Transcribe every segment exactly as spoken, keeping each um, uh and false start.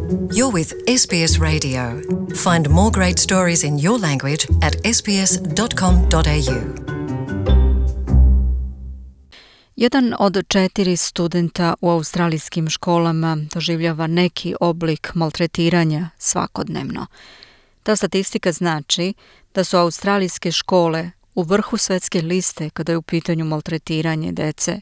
You're with S B S Radio. Find more great stories in your language at s b s dot com dot a u. Jedan od četiri studenta u australijskim školama doživljava neki oblik maltretiranja svakodnevno. Ta statistika znači da su australijske škole u vrhu svetske liste kada je u pitanju maltretiranje dece.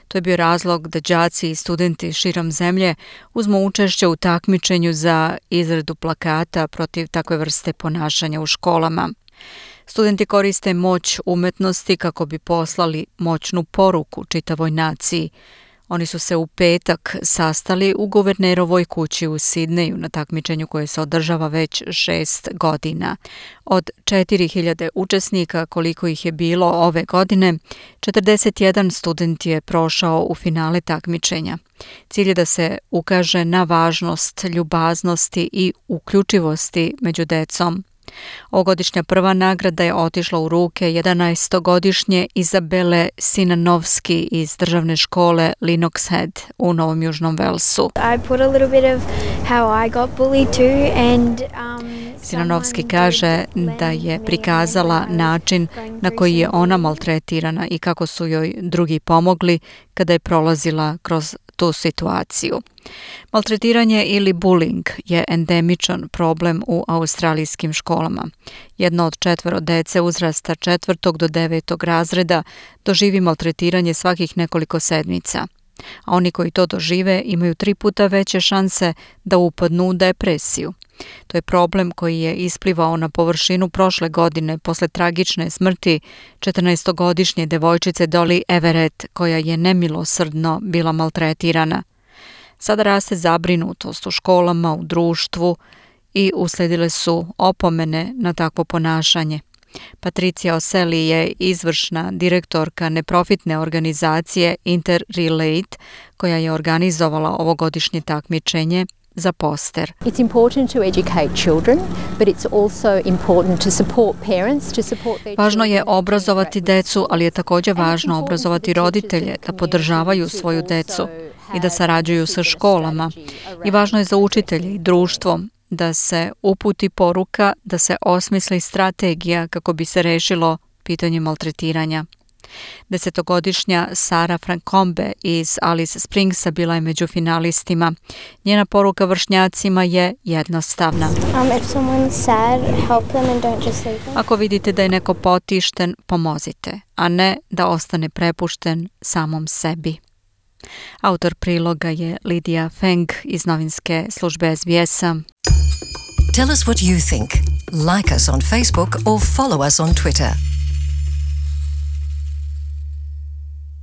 To je bio razlog da đaci i studenti širom zemlje uzmu učešće u takmičenju za izradu plakata protiv takve vrste ponašanja u školama. Studenti koriste moć umetnosti kako bi poslali moćnu poruku čitavoj naciji. Oni su se u petak sastali u guvernerovoj kući u Sidneju na takmičenju koje se održava već šest godina. Od četiri hiljade učesnika, koliko ih je bilo ove godine, četrdeset jedan student je prošao u finale takmičenja. Cilj je da se ukaže na važnost ljubaznosti i uključivosti među decom. Ovogodišnja prva nagrada je otišla u ruke jedanaestogodišnje Izabele Sinanovski iz državne škole Lennox Head u Novom Južnom Velsu. Sinanovski kaže da je prikazala način na koji je ona maltretirana i kako su joj drugi pomogli kada je prolazila kroz tu situaciju. Maltretiranje ili bullying je endemičan problem u australijskim školama. Jedno od četvero dece uzrasta četvrtog do devetog razreda doživi maltretiranje svakih nekoliko sedmica. A oni koji to dožive imaju tri puta veće šanse da upadnu u depresiju. To je problem koji je isplivao na površinu prošle godine posle tragične smrti četrnaestogodišnje devojčice Dolly Everett, koja je nemilosrdno bila maltretirana. Sada raste zabrinutost u školama, u društvu i usledile su opomene na takvo ponašanje. Patricia O'Selley je izvršna direktorka neprofitne organizacije Interrelate, koja je organizovala ovogodišnje takmičenje za poster. It's important to educate children, but it's also important to support parents to support their. Važno je obrazovati decu, ali je također važno obrazovati roditelje da podržavaju svoju decu i da sarađuju sa školama. I važno je za učitelje i društvo da se uputi poruka, da se osmisli strategija kako bi se rešilo pitanje maltretiranja. Desetogodišnja Sara Francombe iz Alice Springsa bila je među finalistima. Njena poruka vršnjacima je jednostavna. Ako vidite da je neko potišten, pomozite, a ne da ostane prepušten samom sebi. Autor priloga je Lidija Feng iz novinske službe S B S-a. Tell us what you think. Like us on Facebook or follow us on Twitter.